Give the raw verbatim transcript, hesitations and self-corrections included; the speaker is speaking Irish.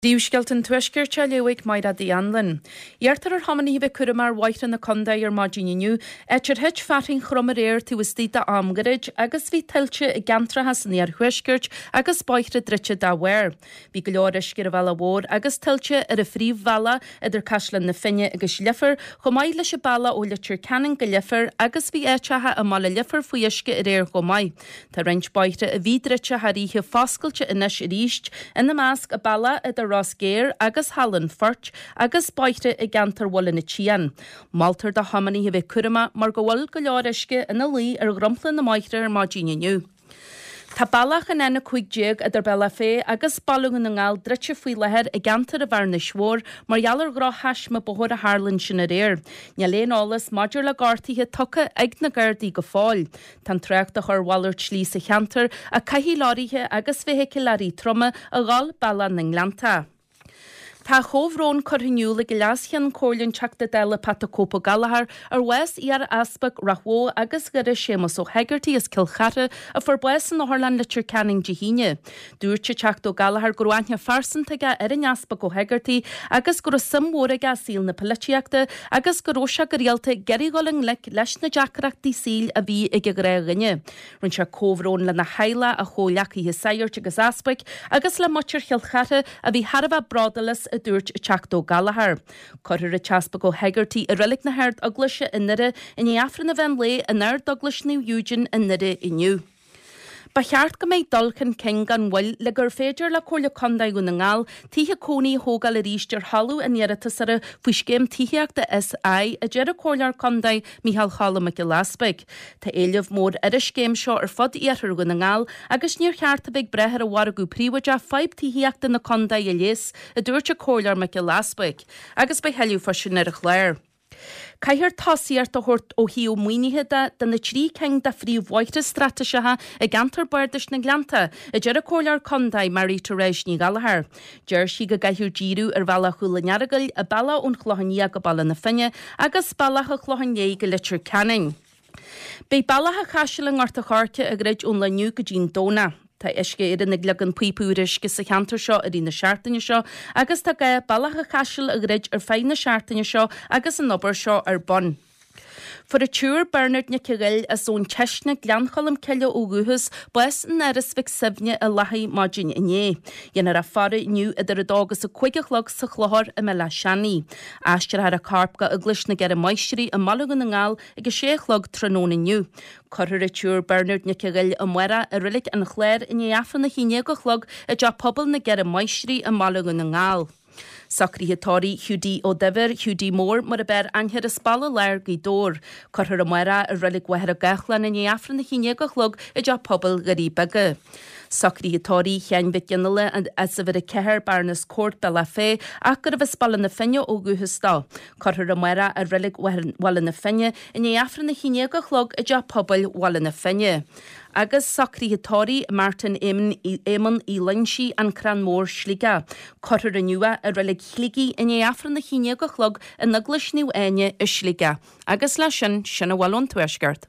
Príomhscéalta an Tuaiscirt á léamh ag Mairéad Uí Anluain. Iarrtar ar thiománaithe a bheith cúramach ar bhóithre na contae ar maidin inniu, áit ar thit fearthainn throm aréir taobh istigh d'am gairid agus bhí tuilte i gceantracha san iarthuaisceart agus bóithre druidte dá bharr. Bhí go leor uisce ar an bhealach mhór agus tuilte ar an phríomhbhealach idir Caisleán na Finne agus Leifear, chomh maith leis an bealach ó Leitir Ceanainn go Leifear agus bhí áiteacha i mbaile Leifir faoi uisce aréir chomh maith. Tá roinnt bóithre a bhí druidte thar oíche foscailte anois arís, ina measc an bealach idir Ros Géar agus Halla an Phoirt agus bóithre i gceantar Bhaile na Tian. Moltar do thiománaithe a bheith cúramach mar go bhfuil go leor uisce ina luí ar dhromchla na mbóithre ar maidin inniu. Tá bealach an N a cúig déag idir Bealach Féich agus Baile Dhún na nGall druidte faoi láthair i gceantar an Bhearnais Mhóir mar gheall ar dhrochthaisme bóthair a tharla ansin aréir. Níl aon eolas maidir le gortuithe tugtha ag na Gardaí go fóill. Tá an trácht á chur ar mhalairt slí sa cheantar ach caithfidh leoraithe agus feithicil troma a dhul bealach na nGleannta. Tá a chomhbhrón curtha in iúl ag Leas-Cheann Comhairle an Teachta Dála Pat 'The Cope Ó Gallchóir ar bhás iar-easpag Ráth Bhoth agus Dhoire Séamus Ó hEigeartaigh as Cill Chartha a fuair bás in Otharlann Leitir Ceanainn Dé hAoine. Dúirt an Teachta Ó Gallchóir go raibh aithne phearsanta aige ar an Easpag Ó hEigeartaigh agus go raibh suim mhór aige i saol na polaitíochta agus go raibh sé go rialta ag iarraidh dhul i ngleic leis na deacrachtaí saoil a bhí ag an ghnáthdhuine. Rinne sé comhbhrón lena theaghlach, a chomhghleacaithe sagairt agus easpaig agus le muintir Chill Chartha a bhí thar a bheith bródúil as, a dúirt an Teachta Ó Gallchóir. Cuirfear an tEaspag Ó hEigeartaigh i Reilig na hArd-Eaglaise i nDoire i ndiaidh Aifreann an mheán lae in Ard-Eaglais Naomh Eugene i nDoire inniu. Ba cheart go mbeidh dul chun cinn gan mhoill le gur féidir le Comhairle Contae Dhún na nGall tithe cónaí a thógáil arís ar thalamh a n-iarratasóra faoi Scéim Tithíochta SI, a deir an Comhairleoir Contae Micheál Choilm Mac Giolla Easpaig. Tá éileamh mór ar an scéim seo ar fud iarthar Dhún na nGall agus níor cheart a bheith ag brath ar an mhargadh príobháideach fadhb tithíochta na contae a leigheas, a dúirt an Comhairleoir Mac Giolla Easpaig. Agus beidh thuilleadh faoi sin ar an chlár. Caithfear tosaíocht a thabhairt ó thaobh maoinithe de do na trí cinn de phríomhbhóithre straitéiseacha i gceantar bardais na nGleannta, a deir an Comhairleoir Contae Mary Therese Ní Ghallchóir. Deir sí go gcaithfear díriú ar Bhealach Chúil an Earagail, an bealach ón Chlochán Liath go Baile na Finne agus bealach an Chlocháin Léith go Leitir Ceanainn. Beidh Bealach an Chaisil i nGort an Choirce á dhruid ón lá inniu go dtí'n Domhnach. Tá Uisce Éireann ag leagan píopa úr uisce sa cheantar seo i rith na seachtaine seo agus tá gá Bealach an Chaisil a dhruid ar feadh na seachtaine seo agus an obair seo ar bun. Fuair an tSiúr Bernard Nic a Ghoill as Abhainn Teisne, Gleann Cholm Cille ó dhúchas, bás in Áras Mhic Suibhne i Lathaigh maidin inné. Dhéanfar a faire inniu idir a dó agus a cúig a chlog sa Chlochar i mBéal Átha Seanaidh. Aistreofar a corp go Eaglais na gCeithre Máistrí i mBaile Dhún na nGall ag a sé a chlog tráthnóna inniu. Cuirfear an tSiúr Bernard Nic a Ghoill amárach i Reilig an Chláir i ndiaidh Aifreann a haon déag a chlog i dTeach Pobail na gCeithre Máistrí i mBaile Dhún na nGall. Socruithe tórraimh Hiúdaí Ó Duibhir, Hiúdaí Mór mar ab fhearr aithne air as Baile Láir, Gaoth Dobhair. Cuirfear amárach i Reilig Mhachaire Gathlán i ndiaidh Aifreann a haon déag a chlog i dTeach Pobail Dhoirí Beaga. Socruithe tórraimh Sheáin Mhic Fhionnghaile as uimhir a ceathair, Baroness Court, Bealach Féich, ach gurbh as Baile na Finne ó dhúchas dó. Cuirfear amárach i Reilig Bhaile na Finne i ndiaidh Aifreann a haon déag a chlog i dTeach Pobail Bhaile na Finne. Agus socruithe tórraimh Martin Éamonn Uí Loingsigh, An Crann Mór, Sligeach. Cuirfear inniu é i Reilig Shligigh i ndiaidh Aifreann a haon déag a chlog in Eaglais Naomh Áine i Sligeach. Agus leis sin, sin a bhfuil ón Tuaisceart.